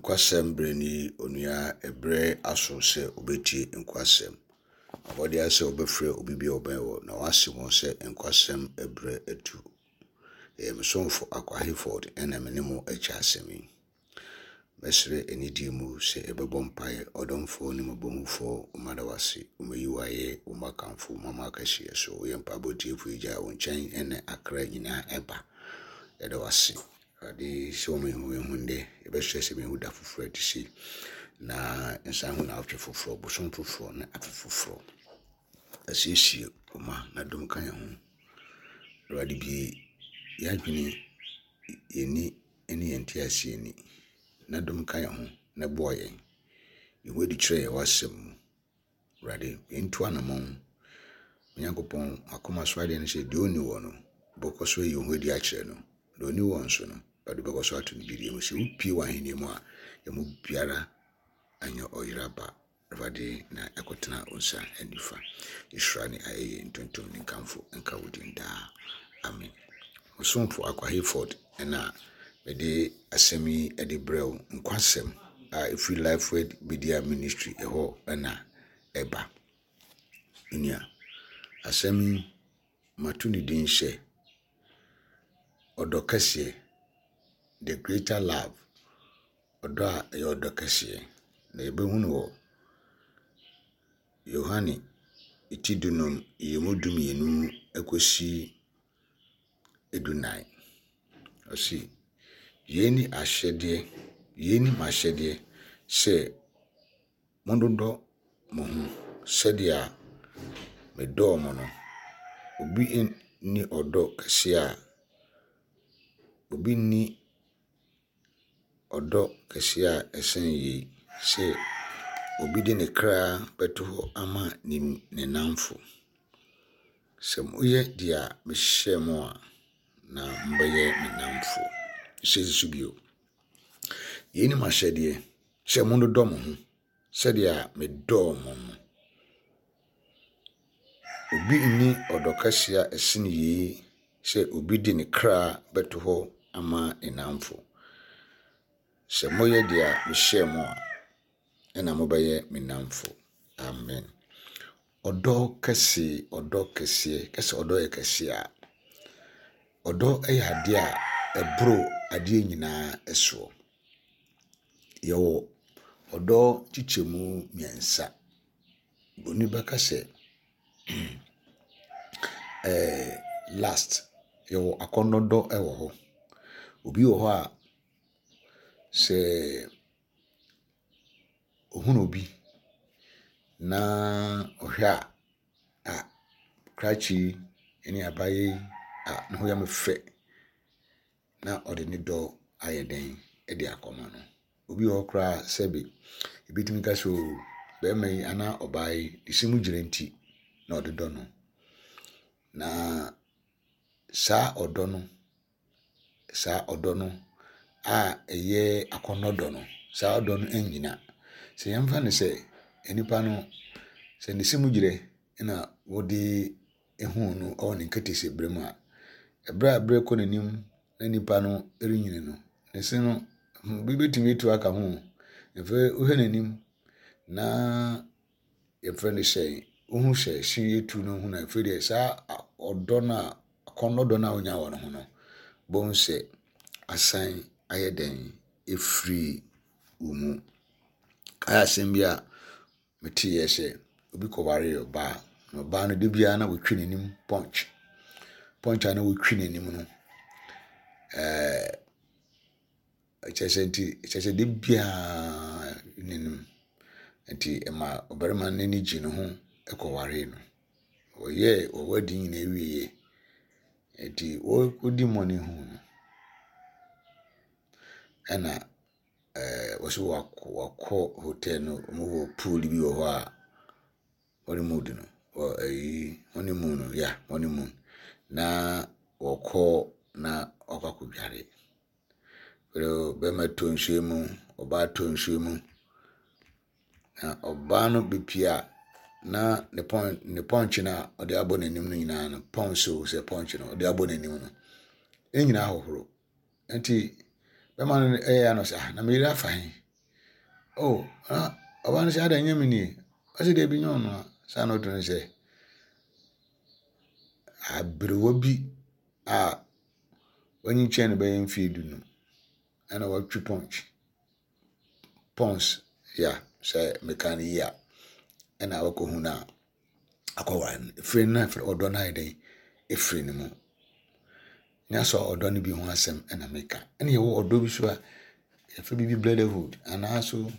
Nkwasɛm berɛ ni onua ɛberɛ aso sɛ wobɛtie nkwasɛm. Abɔdeɛ sɛ wobɛfrɛ obi bi a ɔbɛn wɔ na wase wɔn sɛ nkwasɛm ɛberɛ atu. Ɛyɛ me somfo Akwa Hayford ɛna me ne mo ɛkyɛ asɛm yi. Mɛsrɛ anidie mu sɛ yɛbɛbɔ mpaeɛ. Ɔdomfoɔ ne mmɔbɔhufoɔ, woma da wase, womayi wo ayɛ, woma kamfo, woma ma akɛseɛ so. Woyɛ mpaebɔ tiefoɔ Agya, wo nkyɛn ɛna akra nyinaa ɛba. Yɛda wase. Awurade sɛ wɔma yɛhu yɛn ho nnɛ, yɛbɛsrɛ sɛ mehu da foforɔ ɛte sei. Na nsan ho naawɔtwe foforɔ, bosom foforɔ ne afe foforɔ. Asiesie wo ma na dom ka yɛn ho. Awurade bue yɛn adwene, yɛn ani ne yɛn nteaseɛ ani, na dom ka yɛn ho na boa yɛn. Yi wo adi kyerɛ yɛn w'asɛm mu. Awurade, yɛntu anammɔn. Onyankopɔn, akoma so adeɛ ne sɛ deɛ ɔnni wɔ no, wobɛkɔ so ayi wo ho adi akyerɛ no. Deɛ ɔnni wɔ nso no, Awurade wobɛkɔ so ato no gyidie mu. Sɛ wopue w'ahennie mu a, yɛn mu biara anyɛ ɔyera ba. Awurade na ɛkɔtena wo nsa nifa. Nhyira ne ayɛyie, ntontom ne nkamfo nka wo din daa. Amen. Ɔsomfo Akwa Hayford na mede asɛm yi de brɛ wo, nkwasɛm a ɛfiri Lifeword Media Ministry ɛhɔ na ɛba. Nua, asɛm yi mato ne din sɛ Ɔdɔ Kɛseɛ, The Greater Love. Ɔdɔ a ɛyɛ ɔdɔ kɛseɛ, na yɛbɛhu no wɔ Yohane ti dunum, nyiyimu dumienu kɔsi dunan. Ɔse, yei ne ahyɛdeɛ, yei ne m'ahyɛdeɛ sɛ monnodɔ mo ho sɛdeɛ medɔɔ mo no. Obi nni ɔdɔ kɛseɛ a, obi nni ɔdɔ kɛseɛ a ɛsen yei, sɛ obi de ne kra bɛto hɔ ama ne ne nnamfo. Sɛ moyɛ deɛ mehyɛɛ mo a, na mobɛyɛ me nnamfo. Hyɛ nso bio. Yei ne m'ahyɛdeɛ, sɛ monnodɔ mo ho sɛdeɛ medɔɔ mo no. Obi nni ɔdɔ kɛseɛ a ɛsene yei sɛ obi de ne kra bɛto hɔ ama ne nnamfo. Sɛ moyɛ deɛ mehyɛɛ mo a, ɛna mobɛyɛ me nnamfo. Amen. Ɔdɔ kɛse, ɔdɔ kɛseɛ, kɛsɛ ɔdɔ yɛ kɛseɛ a, ɔdɔ yɛ adeɛ a ɛboro adeɛ nyinaa soɔ. Yɛwɔ ɔdɔ nkyekyɛmu mmiɛnsa. Buroni bɛka sɛ last, yɛwɔ akɔnnɔ dɔ wɔ hɔ. Obi wɔ hɔ a, sɛ ɔhunu obi na ɔhwɛ a, ah, krakye yi ne abaayewa yi, ah, ne ho yɛ me fɛ. Na ɔde ne dɔ ayɛ dɛn de akɔma no. Obi wɔ hɔ koraa a, sɛbe ebi tumi ka sɛ oo, barima yi anaa ɔbaa yi, ne se mu gyina nti na ɔde dɔ no. Na saa ɔdɔ no, saa ɔdɔ no a ɛyɛ akɔnnɔ dɔ no, saa ɔdɔ no nnyina. Sɛ yɛmfa no sɛ nipa no, sɛ ne se mu gyerɛ na wode huu no wɔ ne nketesɛberɛ mu a, ɛberɛ a berɛ kɔ n'anim na nipa no renyini no, ne se no, bi bɛtumi atu aka ho. Afei wohwɛ n'anim na yɛfrɛ no sɛ wohu sɛ se atu no ho na afei deɛ saa ɔdɔ no a akɔnnɔ dɔ no a wonya wɔ ne ho no, bohu sɛ asan ayɛ dɛn ɛfiri wo mu. Kae asɛm bi a Meteeɛ sɛ obi kɔwaree ɔbaa, na ɔbaa no da biara na ɔtwi n'anim punch. Punch a na ɔtwi n'anim no, ɛɛ kyerɛ sɛ nti kyerɛ sɛ da biara n'anim. Nti ɛma ɔbarima no ani gyee ne ho kɔwaree no. Wɔyɛɛ wɔn wedding nyinaa wieeɛ. Nti wɔrekɔdi money ho no, ɛna ɛɛ wɔsi wakɔ wakɔ hotel no wɔwɔ pool bi wɔ hɔ a honeymoon no wɔ ɛyi honeymoon no yeah honeymoon na wɔkɔ na wakɔ akɔdware. Bɛrima tɔ nsuo mu, ɔbaa tɔ nsuo mu. Na ɔbaa no bepie a na ne pɔn ne pɔnkye no a ɔde abɔ n'anim no nyinaa no pɔnkye o sɛ pɔnkye no ɔde abɔ n'anim no ne nyinaa hohoro. Nti bɛrima no yɛ ano sɛ ah na me yere afa he? Oh, na ɔbaa no sɛ adɛn nyɛ me nie? Ɔsɛ deɛ bi nyɛ ɔno a. Saa na ɔto no sɛ aberewa bi a wanyi kyɛn no bɛyɛ mfeɛ 15 ɛna watwi punch. Pons ya sɛ meka no yie a ɛna wakɔhu no a akɔware no. Ɛfiri no na ɔdɔ no ayɛ dɛn? Ɛfiri ne mu. Nyɛ sɛ ɔdɔ no bi ho asɛm ɛna meka. Ɛna yɛwɔ ɔdɔ bi so a yɛfrɛ biribi brotherhood anaa so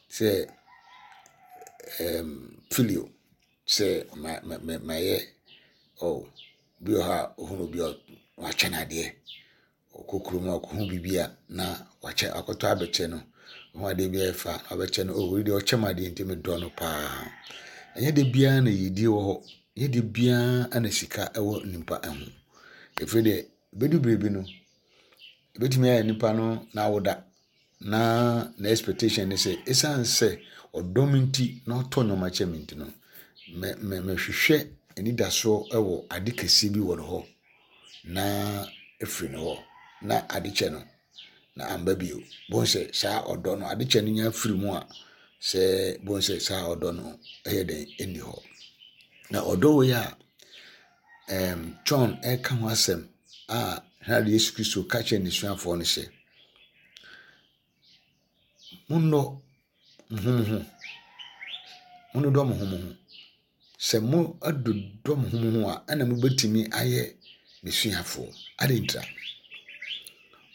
sɛ filio sɛ ma ma ma mayɛ oh bi wɔ hɔ a ohunu obi a wakyɛ no adeɛ. Ɔkɔ kurom a ɔkɔhu biribi a na wakyɛ akɔtɔ abɛkyɛ no. Ɔhu adeɛ bi a ɛyɛ fɛ a wabɛkyɛ no. Oh wei deɛ ɔkyɛ me adeɛ nti medɔ no paa. Ɛnyɛ da biara na yiedie wɔ hɔ. Ɛnyɛ da biara na sika wɔ nipa ho. Ɛfiri deɛ ɛbɛdu berɛ bi no, ɛbɛtumi ayɛ nipa no n'awoda na ne expectation ne sɛ ɛsiane sɛ ɔdɔ me nti na ɔtɔ nneɛma kyɛ me nti no, mɛ mɛ mɛhwehwɛ anidasoɔ wɔ ade kɛseɛ bi wɔ ne hɔ na ɛfiri ne hɔ na ade kyɛ no na amba bio. Bohu sɛ saa ɔdɔ no ade kyɛ no nya firi mu a sɛ bohu sɛ saa ɔdɔ no ɛyɛ dɛn ɛnni hɔ. Na ɔdɔ wei a John ɛka ho asɛm a na Yesu Kristo ka kyerɛ n'asuafoɔ no sɛ monnɔ mo ho mo ho, monnodɔ mo ho mo ho. Sɛ mo adodɔ mo ho mo ho a ɛna mobɛtumi ayɛ m'asuafoɔ. Adɛn ntira?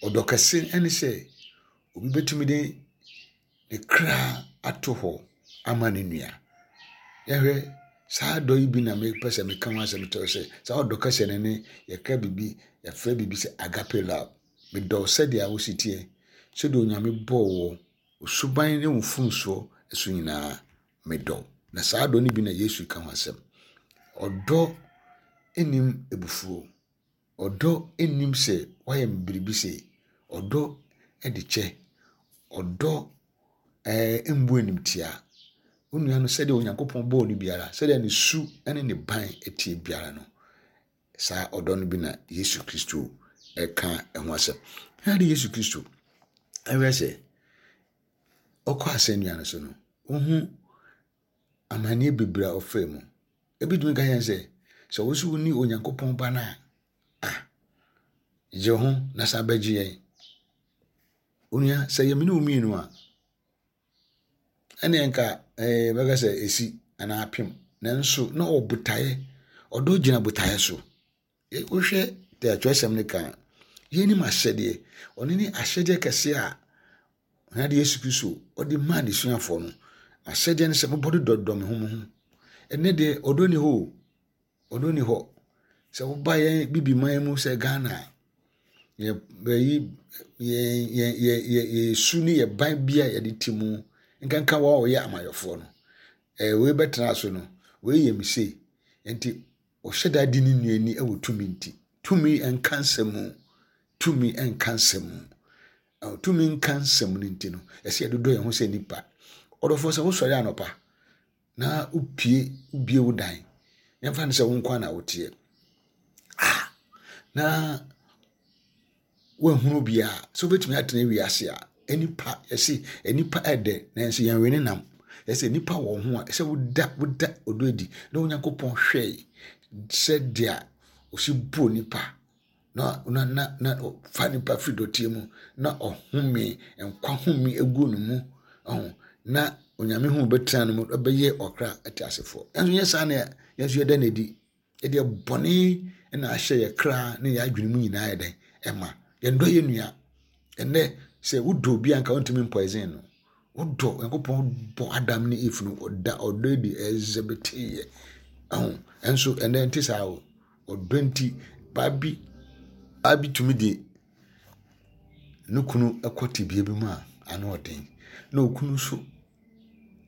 Ɔdɔ kɛse ne sɛ obi bɛtumi de ne kra ato hɔ ama ne nua. Yɛhwɛ saa dɔ yi bi na mepɛ sɛ meka ho asɛm kyerɛ sɛ saa ɔdɔ kɛse no ne yɛka biribi yɛfrɛ biribi sɛ agape love. Medɔ wo sɛdeɛ wosi teɛ, sɛdeɛ Onyame bɔɔ wo, wo suban ne wo mfomsoɔ so nyinaa medɔ wo. Na saa dɔ no bi na Yesu ka ho asɛm. Ɔdɔ nnim abufuo. Ɔdɔ nnim sɛ woayɛ me biribi sei. Ɔdɔ de kyɛ. Ɔdɔ mmu animtia. Wo nua no sɛdeɛ Onyankopɔn bɔɔ no biara, sɛdeɛ ne su ne ne ban teɛ biara no, saa ɔdɔ no bi na Yesu Kristo ɛka ho asɛm. Na de Yesu Kristo ɛhwɛ sɛ ɔkɔ asɛnnua no so no, wohu amanneɛ bebree a ɔfaa mu. Ebi tumi ka yɛn sɛ, sɛ wo nso woni Onyankopɔn ba no a, ah, gye ho na san bɛgye yɛn. Onua, sɛ yɛ me ne wo mmienu a, ɛneɛ nka ɛɛ bɛka sɛ esi anaa apem. Nanso na ɔwɔ botaeɛ. Ɔdɔ gyina botaeɛ so. Wohwɛ deɛ atwerɛsɛm no ka a, yeinim ahyɛdeɛ. Ɔno ne ahyɛdeɛ kɛseɛ a Awurade Yesu Kristo ɔde maa n'asuafoɔ no. Ahyɛdeɛ no sɛ mobɔ dodɔdodɔ mo ho mo ho. Ɛnnɛ deɛ ɔdɔ ni hɔ o. Ɔdɔ ni hɔ. Sɛ woba yɛn bibiman mu sɛ Ghana a, yɛ bɛyi yɛn yɛn yɛ yɛ yɛ su ne yɛ ban bi a yɛde te mu nkanka wɔn a wɔyɛ amayɔfoɔ no. Ɛɛ wei bɛtena so no, wei yɛ me sei. Nti ɔhyɛ da di ne nua ni wɔ tumi nti. Tumi nka nsɛm mu. Tumi nka nsɛm mu. Tumi nka nsɛm no nti no, ɛsɛ yɛdodɔ yɛn ho sɛ nnipa. Ɔdɔfoɔ sɛ wosɔre anɔpa na wopie wobie wo dan, yɛmfa no sɛ wo nko na woteɛ. Ah, na woahunu obiara sɛ wobɛtumi atena wiase a nnipa yɛse nnipa ɛdɛ nanso yɛn we ne nam. Yɛsɛ nnipa wɔ ho a ɛsɛ woda woda ɔdɔ adi na Onyankopɔn hwɛe sɛ deɛ ɔsi bu nipa na na na na ɔfa nipa firi dɔteɛ mu na ɔhome nkwa home egu ne mu ɔho na Onyame ho bɛtena no mu ɛbɛyɛ ɔkra ɛte asefoɔ. Ɛnso nyɛ saa na yɛn nso yɛda no adi. Yɛde bɔne na ahyɛ yɛ kra ne yɛ adwene mu nyinaa yɛ dɛn ɛma yɛndɔ yɛ nua. Ɛnɛ sɛ wodɔ obi a nka wontumi mpoison no. Wodɔ Nyankopɔn bɔ Adam ne Eve no ɔda ɔdɔ adi ɛzɛbɛteeɛ. Ɛho ɛnso ɛnɛ nte saa o. Ɔdɔ nti baa bi baa bi tumi de ne kunu kɔ tebea bi mu a ano ɔden. Na okunu nso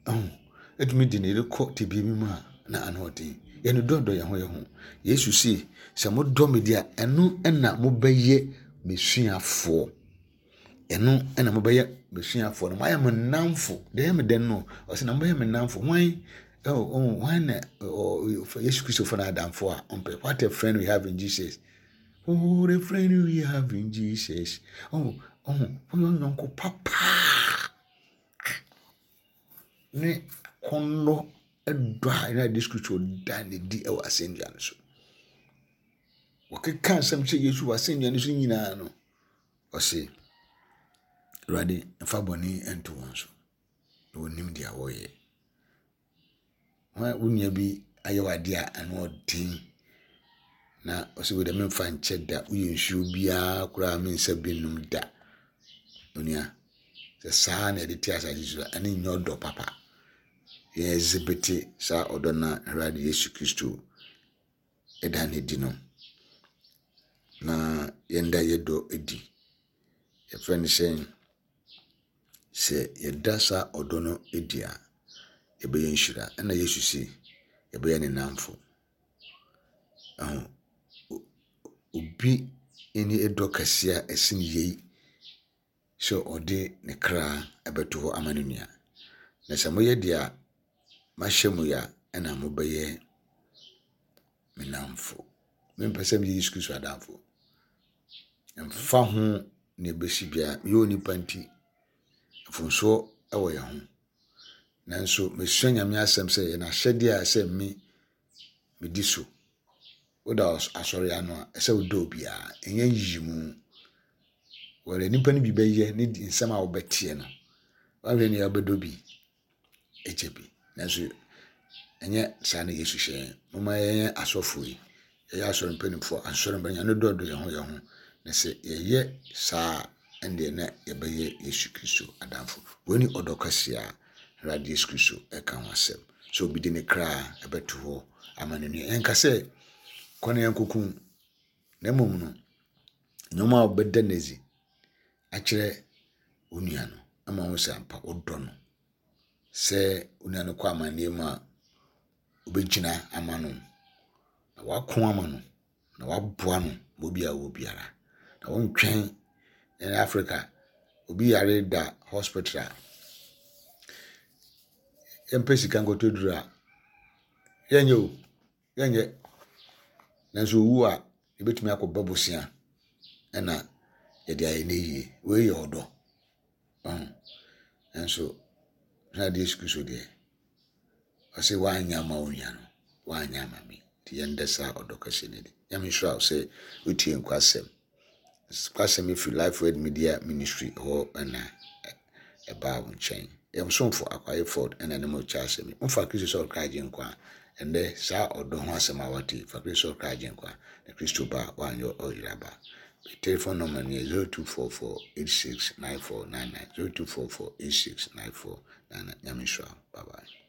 ɛho ɛtumi de ne yere kɔ tebea bi mu a na ano ɔden. Yɛn dɔ dɔ yɛn ho yɛn ho. Yesu se sɛ modɔ me deɛ a ɛno na mobɛyɛ m'asuafoɔ. Ɛno na mobɛyɛ m'asuafoɔ no. Moayɛ mo nnamfo. Deɛ ɛyɛ me dɛ no, ɔsɛ na mobɛyɛ me nnamfo. Hwan oh, oh, hwan na oh, Yesu Kristo fo no adamfo a ɔmpɛ. What a friend we have in Jesus. Oh, what a friend we have in Jesus. Oh, oh, woyɛ ɔnyɔnko papa. ne akɔnnɔ dɔ a Awurade Yesu Kristo da no adi wɔ asɛnnua no so. Wɔkeka nsɛm kyerɛ Yesu wɔ asɛnnua no so nyinaa no, ɔse, Awurade, mfa bɔne nto wɔn so, na wɔnim deɛ wɔyɛ. Wo nua bi ayɛ wo adeɛ a ano ɔden na ɔsɛ wei deɛ memfa nkyɛ da woyɛ nsuo biara koraa mensa bi nnom da. Onua, sɛ saa na yɛde te asase so a, ɛno nyɛ ɔdɔ papa. Yɛn exhibit saa ɔdɔ no a Awurade Yesu Kristo da no adi no, na yɛnda yɛ dɔ adi. Yɛfrɛ no sɛn? Sɛ yɛda saa ɔdɔ no adi a, yɛbɛyɛ nhyira. Ɛna Yesu se yɛbɛyɛ ne nnamfo. Ɛho, obi nni dɔ kɛseɛ a ɛsen yei sɛ ɔde ne kra bɛto hɔ ama ne nua. Na sɛ moyɛ deɛ mahyɛ mo yi a, ɛna mobɛyɛ me nnamfo. Mempɛ sɛ meyɛ Yesu Kristo adamfo. Ɛmfa ho nea ebesi biara, meyɛ onipa nti, mfomsoɔ wɔ yɛn ho. Nanso mesua Nyame asɛm sɛ yɛn ahyɛdeɛ a ɛsɛ me medi so. Woda asɔre ano a, ɛsɛ wodɔ obiara. Ɛnyɛ nyiyimu. Wɔde nnipa no bi bɛyɛ ne nsɛm a wobɛteɛ no, woahwɛ nea wobɛdɔ bi. kyɛ bi. Nanso ɛnyɛ saa na Yesu hyɛ yɛn. Momma yɛnyɛ asɔfo yi, yɛyɛ asɔre mpanimfoɔ, asɔre mpanimfoɔ, yɛn dɔdɔ yɛn ho yɛn ho. Na sɛ yɛyɛ saa a, ɛndeɛ na yɛbɛyɛ Yesu Kristo adamfo. Wei ne ɔdɔ kɛseɛ a Awurade Yesu Kristo ɛka ho asɛm. Sɛ obi de ne kra ɛbɛto hɔ ama ne nua. Yɛnka sɛ kɔ na yɛnkɔku, na mmom no, nneɛma a wɔbɛda no adzi akyerɛ wo nua no ama woahu sɛ ampa wodɔ no. Sɛ wo nua no kɔ amanneɛ mu a, wobɛgyina ama no, na woako ama no, na woaboa no ma obi a ɔwɔ biara. Na wontwɛn ɛne Africa, obi yare da hospital a, yɛmpɛ sika nkɔtɔ duru a, yɛnyɛ o. Yɛnyɛ. Nanso owu a, yɛbɛtumi akɔbɔ bosea ɛna yɛde ayɛ no yie. Wei yɛ ɔdɔ. Ɔho. Nanso, na adeɛ Yesu Kristo deɛ, ɔse woanyɛ ama wo nua no, woanyɛ ama me. Nti yɛndɛ saa ɔdɔ kɛseɛ no adi. Nyame nhyira wo sɛ wotie nkwasɛm. Kwasɛm yi firi Life Word Media Ministry hɔ na ɛbaa wo nkyɛn. Yɛn somfo Akwaye Ford na ne mo kyɛ asɛm yi. Mfa Kristo sɛ ɔkra agyenkwa. Ɛnnɛ, saa ɔdɔ ho asɛm a wate yi, fa Kristo sɛ ɔkra agyenkwa, na Kristo ba a, woanyɛ ɔyera ba. Me telephone number no yɛ 0244 86 94 99, 0244 86 94 99. Nyame nhyira wo. Bye bye.